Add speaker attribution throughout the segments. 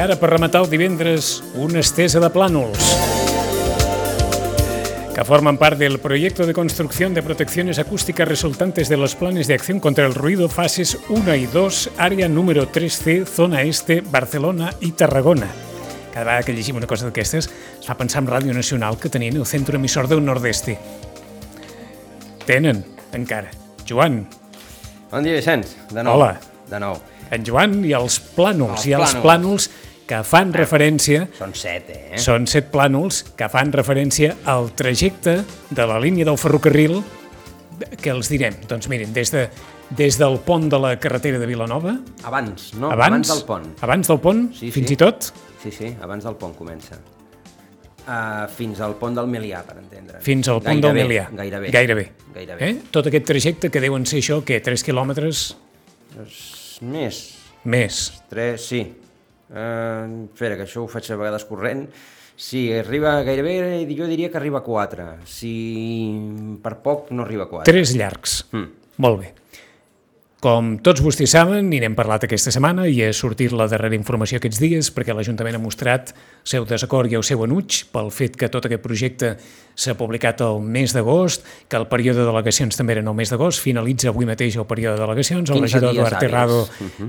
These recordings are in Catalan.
Speaker 1: ara, per rematar el divendres, una estesa de plànols que forman parte del proyecto de construcción de protecciones acústicas resultantes de los planes de acción contra el ruido fases 1 y 2, àrea número 3C, zona este, Barcelona i Tarragona. Cada vegada que llegim una cosa d'aquestes es fa pensar en Ràdio Nacional, que tenien el centre emissor del Nordeste. Tenen, encara. Joan.
Speaker 2: Bon dia, Vicenç. De nou.
Speaker 1: Hola.
Speaker 2: De nou.
Speaker 1: En Joan i els plànols. Els plànols que fan referència...
Speaker 2: Són 7, eh?
Speaker 1: Són 7 plànols que fan referència al trajecte de la línia del ferrocarril que els direm. Doncs miren, des del pont de la carretera de Vilanova...
Speaker 2: Abans, no? Abans del pont.
Speaker 1: Abans del pont,
Speaker 2: sí,
Speaker 1: fins i tot?
Speaker 2: Sí, abans del pont comença. Fins al pont del Melià, per entendre.
Speaker 1: Fins al pont del Melià.
Speaker 2: Gairebé.
Speaker 1: Tot aquest trajecte que deuen ser això, què, 3 quilòmetres?
Speaker 2: Més. 3, sí. Espera, que això ho faig a vegades corrent. Sí, arriba gairebé, jo diria que arriba a 4. Si per poc no arriba a 4.
Speaker 1: 3 llargs. Molt bé. Com tots vostès saben, i n'hem parlat aquesta setmana, i ha sortit la darrera informació aquests dies, perquè l'Ajuntament ha mostrat el seu desacord i el seu enuig pel fet que tot aquest projecte s'ha publicat el mes d'agost, que el període de delegacions també era el mes d'agost, finalitza avui mateix el període de delegacions, el regidor Eduard Terrado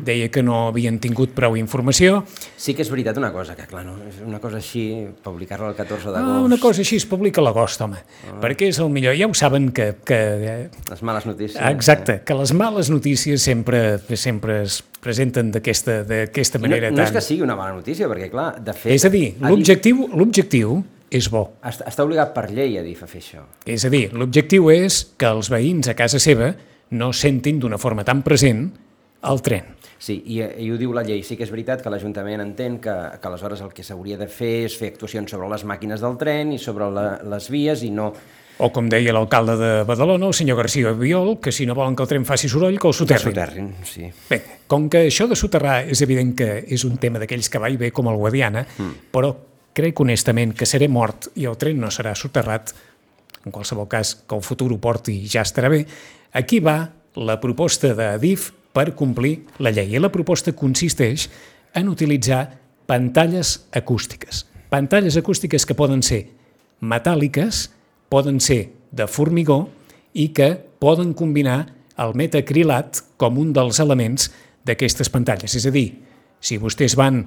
Speaker 1: deia que no havien tingut prou informació.
Speaker 2: Sí que és veritat una cosa, que clar, no? És una cosa així, publicar-la el 14 d'agost...
Speaker 1: Una cosa així es publica a l'agost, home, perquè és el millor. Ja ho saben que...
Speaker 2: Les males notícies.
Speaker 1: Exacte, que les males notícies sempre es presenten d'aquesta manera.
Speaker 2: No és que sigui una mala notícia, perquè clar, de fet...
Speaker 1: És a dir, l'objectiu és bo.
Speaker 2: Està obligat per llei a DIF a fer això.
Speaker 1: És a dir, l'objectiu és que els veïns a casa seva no sentin d'una forma tan present el tren.
Speaker 2: Sí, i ho diu la llei. Sí que és veritat que l'Ajuntament entén que aleshores el que s'hauria de fer és fer actuacions sobre les màquines del tren i sobre les vies i no...
Speaker 1: O com deia l'alcalde de Badalona, el senyor García Biol, que si no volen que el tren faci soroll, que el soterrin.
Speaker 2: Sí.
Speaker 1: Bé, com que això de soterrar és evident que és un tema d'aquells que va i ve com el Guadiana, però crec honestament que seré mort i el tren no serà soterrat, en qualsevol cas que el futur ho porti i ja estarà bé. Aquí va la proposta d'Adif per complir la llei. I la proposta consisteix en utilitzar pantalles acústiques. Pantalles acústiques que poden ser metàl·liques, poden ser de formigó i que poden combinar el metacrilat com un dels elements d'aquestes pantalles. És a dir, si vostès van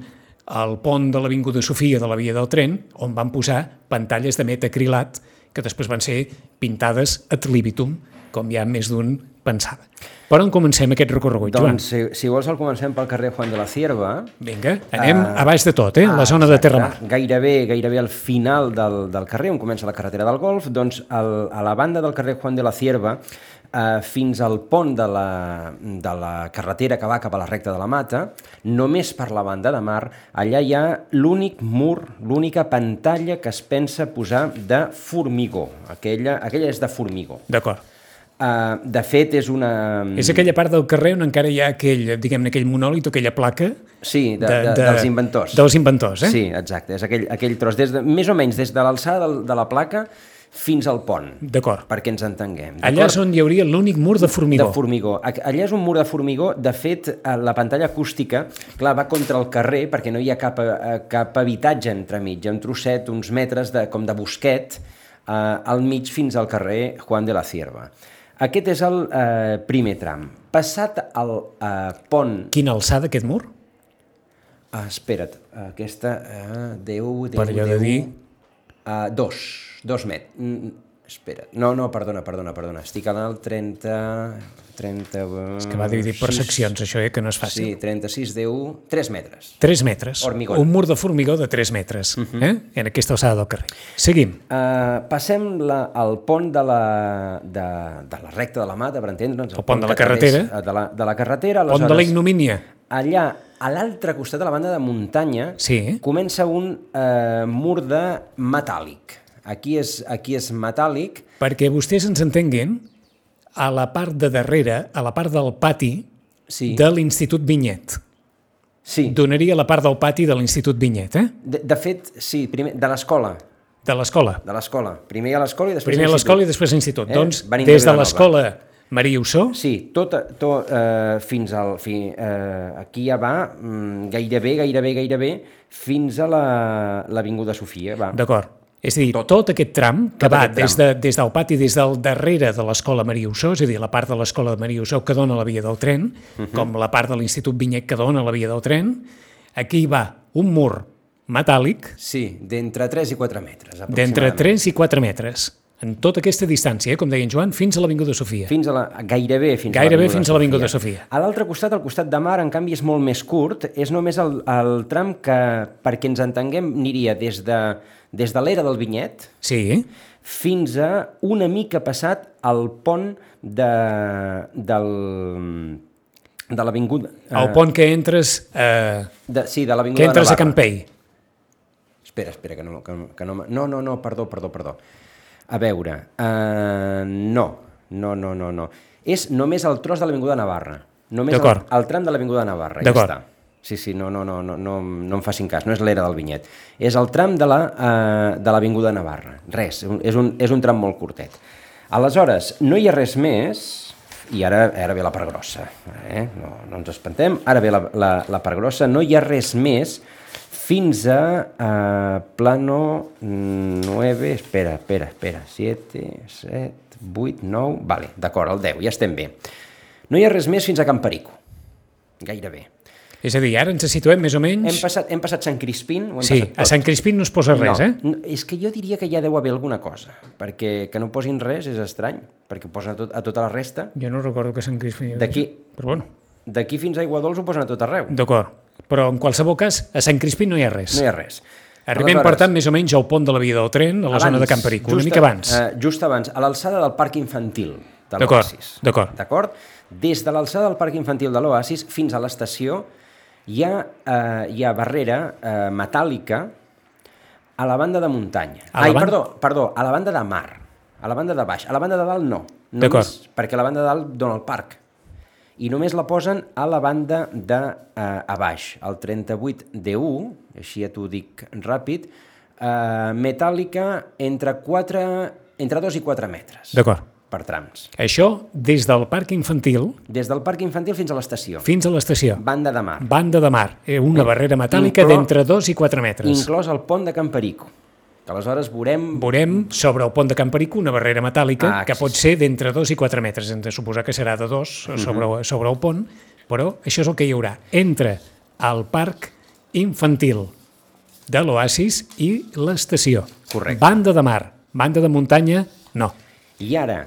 Speaker 1: al pont de l'Avinguda Sofia de la via del tren, on van posar pantalles de metacrilat que després van ser pintades ad libitum, com ja més d'un pensava. Per on comencem aquest recorregut, Joan?
Speaker 2: Doncs, si vols, el comencem pel carrer Juan de la Cierva.
Speaker 1: Vinga, anem a baix de tot, la zona de Terramar.
Speaker 2: Gairebé al final del carrer, on comença la carretera del Golf, doncs a la banda del carrer Juan de la Cierva, fins al pont de la carretera que va cap a la recta de la Mata, només per la banda de mar, allà hi ha l'únic mur, l'única pantalla que es pensa posar de formigó. Aquella és de formigó.
Speaker 1: D'acord.
Speaker 2: De fet, és una...
Speaker 1: És aquella part del carrer on encara hi ha aquell monòlit o aquella placa...
Speaker 2: Sí, dels inventors.
Speaker 1: Dels inventors,
Speaker 2: Sí, exacte. És aquell tros, més o menys des de l'alçada de la placa fins al pont.
Speaker 1: D'acord.
Speaker 2: Perquè ens entenguem.
Speaker 1: Allà és on hi hauria l'únic mur de formigó.
Speaker 2: De formigó. Allà és un mur de formigó. De fet, la pantalla acústica, clar, va contra el carrer perquè no hi ha cap habitatge entremig. Hi ha un trosset, uns metres com de bosquet al mig fins al carrer Juan de la Cierva. Aquest és el primer tram. Passat el pont...
Speaker 1: Quina alçada, aquest mur?
Speaker 2: Espera't, aquesta... 10...
Speaker 1: Per allò de dir...
Speaker 2: 2 metres. Espera, no, perdona. Estic al 30...
Speaker 1: És que va dividir per seccions, això, que no és fàcil.
Speaker 2: Sí, 36, 10... 3 metres.
Speaker 1: 3 metres.
Speaker 2: Hormigón.
Speaker 1: Un mur de formigó de 3 metres, en aquesta alçada del carrer. Seguim.
Speaker 2: Passem al pont de la recta de la Mata, per entendre'ns.
Speaker 1: El pont de la carretera.
Speaker 2: De la carretera.
Speaker 1: Pont de la ignomínia.
Speaker 2: Allà, a l'altre costat de la banda de muntanya, comença un mur de metàl·lic. Aquí és metàl·lic.
Speaker 1: Perquè vostès ens entenguin, a la part de darrere, a la part del pati de l'Institut Vinyet.
Speaker 2: Sí.
Speaker 1: Donaria la part del pati de l'Institut Vinyet,
Speaker 2: De fet, sí, primer, de l'escola.
Speaker 1: De l'escola.
Speaker 2: De l'escola. Primer a l'escola i després
Speaker 1: Primer a l'escola i després a l'institut. Doncs,
Speaker 2: des de l'escola
Speaker 1: Maria Ossó?
Speaker 2: Sí, fins al... aquí ja va gairebé fins a l'Avinguda Sofia. Va.
Speaker 1: D'acord. És a dir, tot aquest tram que va des del pati, des del darrere de l'Escola Maria Ossó, és a dir, la part de l'Escola de Maria Ossó que dona a la via del tren, com la part de l'Institut Vinyet que dona a la via del tren, aquí va un mur metàl·lic
Speaker 2: Sí, d'entre 3 i 4 metres,
Speaker 1: d'entre 3 i 4 metres, en tota aquesta distància, com deia en Joan, fins a l'Avinguda Sofia.
Speaker 2: Gairebé fins
Speaker 1: a l'Avinguda Sofia.
Speaker 2: A l'altre costat, el costat de mar, en canvi, és molt més curt. És només el tram que, perquè ens entenguem, aniria des de l'era del Vinyet fins a una mica passat el pont de l'Avinguda...
Speaker 1: El pont que entres...
Speaker 2: Sí, de l'Avinguda de Navarra.
Speaker 1: Que entres a Campell.
Speaker 2: Espera, que no... No, perdó. A veure, no. És només el tros de l'Avinguda Navarra. Només el tram de l'Avinguda Navarra, ja està. Sí, no em facin cas, no és l'era del Vinyet. És el tram de l'Avinguda Navarra. Res, és un tram molt curtet. Aleshores, no hi ha res més, i ara ve la part grossa. No ens espantem, ara ve la part grossa, no hi ha res més fins a plano 9, espera, 7, 8, 9, vale, d'acord, el 10, ja estem bé. No hi ha res més fins a Can Perico, gairebé.
Speaker 1: És a dir, ara ens situem més o menys...
Speaker 2: Hem passat Sant Crispín.
Speaker 1: Sí, a Sant Crispín no es posa res,
Speaker 2: No, és que jo diria que ja deu haver alguna cosa, perquè que no posin res és estrany, perquè ho posen a tota la resta.
Speaker 1: Jo no recordo que Sant Crispín... Però bueno.
Speaker 2: D'aquí fins a Aiguadols ho posen a tot arreu.
Speaker 1: D'acord, però en qualsevol cas, a Sant Crispín no hi ha res.
Speaker 2: No hi ha res.
Speaker 1: Arribem, per tant, més o menys al pont de la via del tren, a la zona de Can Perico, una mica abans.
Speaker 2: Just abans, a l'alçada del Parc Infantil de l'Oasis.
Speaker 1: D'acord.
Speaker 2: Des de l'alçada del Parc Infantil de l'Oasis fins a l'estació hi ha barrera metàl·lica a la banda de muntanya. Perdó, a la banda de mar, a la banda de baix. A la banda de dalt no. Només perquè la banda de dalt dona el parc. I només la posen a la banda de a baix, el 38D1, així ja t'ho dic ràpid, metàl·lica entre 2 i 4 metres.
Speaker 1: D'acord.
Speaker 2: Per trams.
Speaker 1: Això des del parc infantil...
Speaker 2: Des del parc infantil fins a l'estació.
Speaker 1: Fins a l'estació.
Speaker 2: Banda de mar.
Speaker 1: Banda de mar, una barrera metàl·lica d'entre 2 i 4 metres.
Speaker 2: Inclòs el pont de Can Perico. Que aleshores
Speaker 1: veurem sobre el pont de Can Perico una barrera metàl·lica que pot ser d'entre 2 i 4 metres. Hem de suposar que serà de 2 sobre el pont, però això és el que hi haurà entre el parc infantil de l'Oasis i l'estació.
Speaker 2: Correcte.
Speaker 1: Banda de mar, banda de muntanya, no.
Speaker 2: I ara,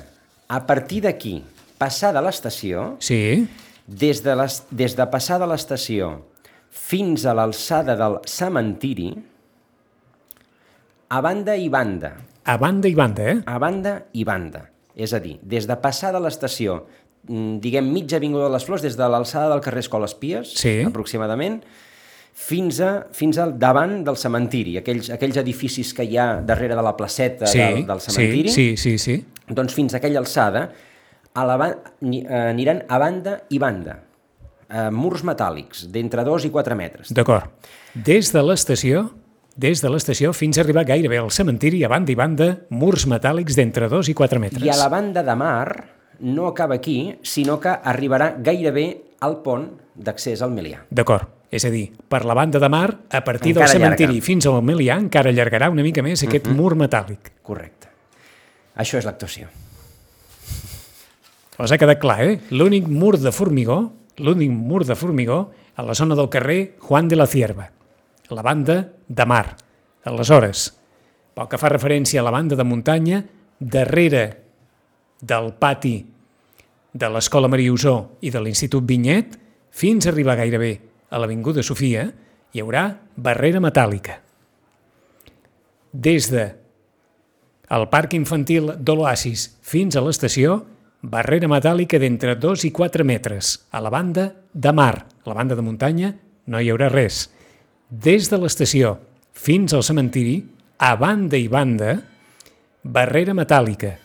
Speaker 2: a partir d'aquí, passar de l'estació, des de passar de l'estació fins a l'alçada del cementiri, a banda i banda.
Speaker 1: A banda i banda,
Speaker 2: A banda i banda. És a dir, des de passar de l'estació, diguem mitja avinguda de les Flors, des de l'alçada del carrer Escoles Pies, aproximadament, fins al davant del cementiri, aquells edificis que hi ha darrere de la placeta del cementiri.
Speaker 1: Sí.
Speaker 2: Doncs fins a aquella alçada aniran a banda i banda, murs metàl·lics d'entre 2 i 4 metres.
Speaker 1: D'acord. Des de l'estació fins a arribar gairebé al cementiri, a banda i banda, murs metàl·lics d'entre 2 i 4 metres.
Speaker 2: I a la banda de mar no acaba aquí, sinó que arribarà gairebé al pont d'accés al Melià.
Speaker 1: D'acord. És a dir, per la banda de mar, a partir del cementiri fins al Melià, encara allargarà una mica més aquest mur metàl·lic.
Speaker 2: Correcte. Això és l'actuació.
Speaker 1: Els ha quedat clar, L'únic mur de formigó a la zona del carrer Juan de la Cierva, la banda de mar. Aleshores, pel que fa referència a la banda de muntanya, darrere del pati de l'Escola Maria Ossó i de l'Institut Vinyet, fins a arribar gairebé a l'Avinguda Sofia, hi haurà barrera metàl·lica. Des del parc infantil de l'Oasis fins a l'estació, barrera metàl·lica d'entre 2 i 4 metres. A la banda de mar, a la banda de muntanya, no hi haurà res. Des de l'estació fins al cementiri, a banda i banda, barrera metàl·lica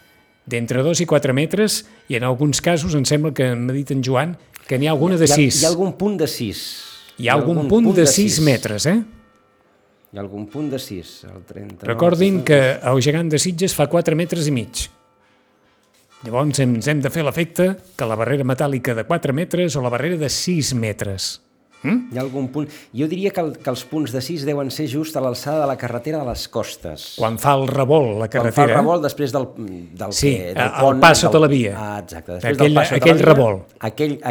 Speaker 1: d'entre 2 i 4 metres, i en alguns casos, em sembla que m'ha dit en Joan, que n'hi ha alguna de 6.
Speaker 2: Hi ha algun punt de 6.
Speaker 1: Hi ha algun punt de 6 metres,
Speaker 2: Hi ha algun punt de 6.
Speaker 1: Recordin que el gegant de Sitges fa 4 metres i mig. Llavors ens hem de fer l'efecte que la barrera metàl·lica de 4 metres o la barrera de 6 metres.
Speaker 2: Hi ha algun punt... Jo diria que els punts de 6 deuen ser just a l'alçada de la carretera de les costes.
Speaker 1: Quan fa el revolt la carretera...
Speaker 2: Quan fa el revolt després del
Speaker 1: sí,
Speaker 2: del
Speaker 1: pont... el pas sota la via.
Speaker 2: Exacte. Després del pas sota
Speaker 1: aquell
Speaker 2: la via,
Speaker 1: revolt.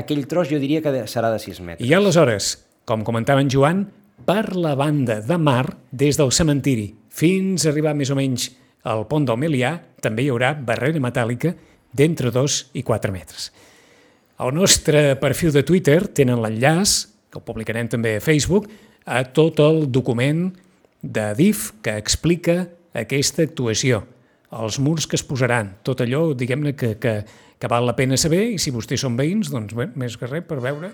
Speaker 2: Aquell tros jo diria que serà de 6 metres.
Speaker 1: I aleshores, com comentava en Joan, per la banda de mar, des del cementiri fins a arribar més o menys al pont del Melià, també hi haurà barrera metàl·lica d'entre 2 i 4 metres. Al nostre perfil de Twitter tenen l'enllaç, que el publicarem també a Facebook, a tot el document de DIF que explica aquesta actuació, els murs que es posaran, tot allò, diguem-ne, que val la pena saber, i si vostès són veïns, doncs bé, més que res per veure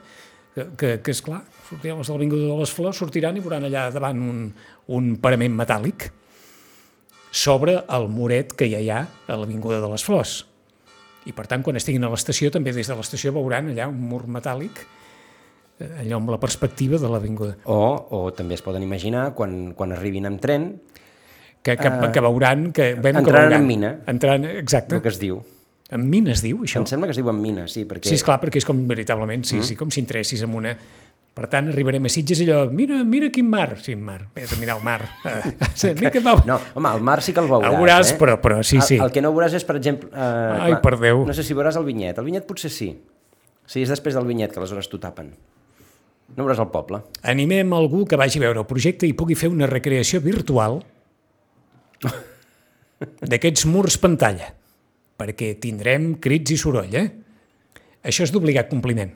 Speaker 1: que és clar, sortiran els de l'Avinguda de les Flors, sortiran i veuran allà davant un parament metàl·lic sobre el muret que ja hi ha a l'Avinguda de les Flors. I per tant, quan estiguin a l'estació, també des de l'estació veuran allà un mur metàl·lic, allò amb la perspectiva de l'avinguda.
Speaker 2: O també es poden imaginar, quan arribin amb tren...
Speaker 1: Que veuran...
Speaker 2: Entraran en mina.
Speaker 1: Exacte.
Speaker 2: El que es diu.
Speaker 1: En mina es diu, això?
Speaker 2: Em sembla que es diu en mina, sí. Perquè...
Speaker 1: Sí, esclar, perquè és com veritablement, sí, com si entressis en una... Per tant, arribarem a Sitges i allò, mira quin mar. Sí, mar, vés a mirar el mar.
Speaker 2: No, home, el mar sí que el veuràs.
Speaker 1: El veuràs, però sí.
Speaker 2: El que no veuràs és, per exemple...
Speaker 1: Ai, per Déu.
Speaker 2: No sé si veuràs el vinyet. El vinyet potser sí. Sí, és després del vinyet, que aleshores t'ho tapen. No veuràs el poble.
Speaker 1: Animem algú que vagi a veure el projecte i pugui fer una recreació virtual d'aquests murs pantalla, perquè tindrem crits i soroll, Això és d'obligat compliment.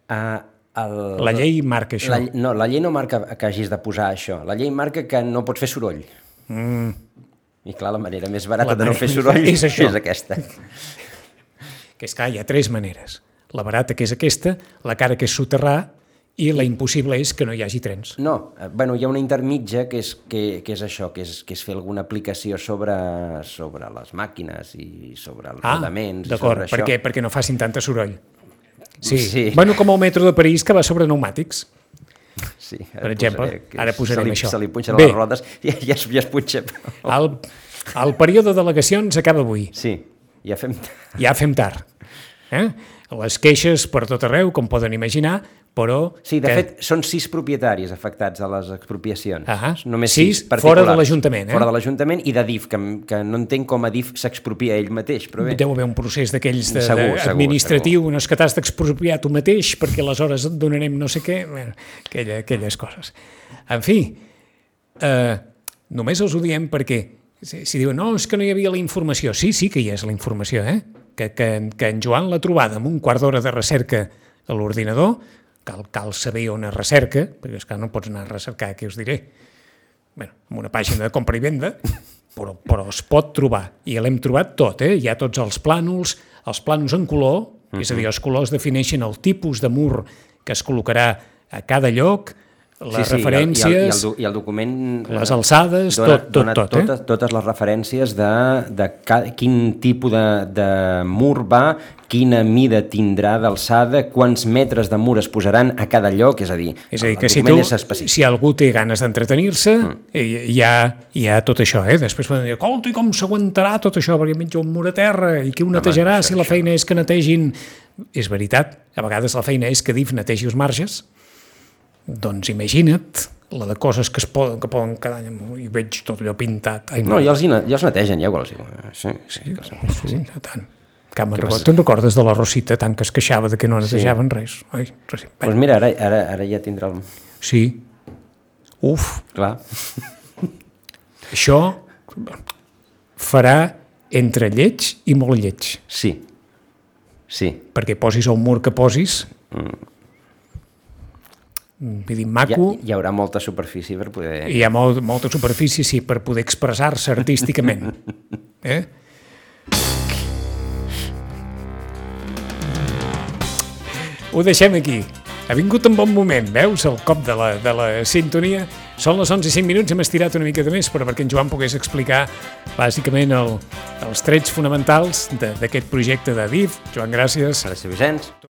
Speaker 1: La llei marca això.
Speaker 2: La llei no marca que hagis de posar això. La llei marca que no pots fer soroll. I clar, la manera més barata de no fer soroll és aquesta.
Speaker 1: Que és clar, hi ha 3 maneres. La barata, que és aquesta, la cara, que és soterrar, i la impossible és que no hi hagi trens.
Speaker 2: No, bueno, hi ha una intermitja que és això, que és fer alguna aplicació sobre les màquines i sobre els rodaments.
Speaker 1: D'acord, perquè no facin tanta soroll. Sí. Bueno, com el metro de París, que va sobre pneumàtics.
Speaker 2: Sí,
Speaker 1: per exemple, ara posarem això.
Speaker 2: Se li punxen les rodes i ja es punxa.
Speaker 1: El període d'al·legacions acaba avui.
Speaker 2: Sí, ja fem tard.
Speaker 1: Ja fem tard. Les queixes per tot arreu, com poden imaginar, però...
Speaker 2: Sí, de fet, són 6 propietaris afectats a les expropiacions.
Speaker 1: Només 6 fora de l'Ajuntament.
Speaker 2: Fora de l'Ajuntament i de DIF, que no entenc com a DIF s'expropia ell mateix, però bé.
Speaker 1: Deu haver un procés d'aquells administratiu, no és que t'has d'expropiar tu mateix, perquè aleshores et donarem no sé què, aquelles coses. En fi, només els ho diem perquè si diuen, no, és que no hi havia la informació. Sí que hi és la informació, que en Joan l'ha trobada amb un quart d'hora de recerca a l'ordinador, cal saber on es recerca, perquè és que no pots anar a recercar, què us diré? Bé, en una pàgina de compra i venda, però es pot trobar, i l'hem trobat tot, hi ha tots els plànols en color, és a dir, els colors defineixen el tipus de mur que es col·locarà a cada lloc, les referències,
Speaker 2: i el document
Speaker 1: les alçades,
Speaker 2: dona totes les referències de quin tipus de mur va, quina mida tindrà d'alçada, quants metres de mur es posaran a cada lloc, és a dir,
Speaker 1: que si algú té ganes d'entretenir-se, hi ha tot això. Després poden dir, escolta, i com s'aguantarà tot això, perquè menja un mur a terra, i qui ho netejarà si la feina és que netegin... És veritat, a vegades la feina és que DIF netegi els marges. Doncs imagina't la de coses que poden quedar i veig tot allò pintat.
Speaker 2: No, ja els netegen, ja igual. Sí,
Speaker 1: tant. Te'n recordes de la Rosita tant que es queixava de que no netejaven res?
Speaker 2: Doncs mira, ara ja tindrà el...
Speaker 1: Sí. Uf.
Speaker 2: Clar.
Speaker 1: Això farà entre lleig i molt lleig.
Speaker 2: Sí.
Speaker 1: Perquè posis el mur que posis... Vull dir, maco...
Speaker 2: Hi haurà molta superfície per poder...
Speaker 1: Hi ha molta superfície, sí, per poder expressar-se artísticament. Ho deixem aquí. Ha vingut un bon moment, veus, el cop de la sintonia. Són les 11:05, hem estirat una mica de més, però perquè en Joan pogués explicar bàsicament els trets fonamentals d'aquest projecte de DIF. Joan, gràcies.
Speaker 2: Gràcies, Vicenç.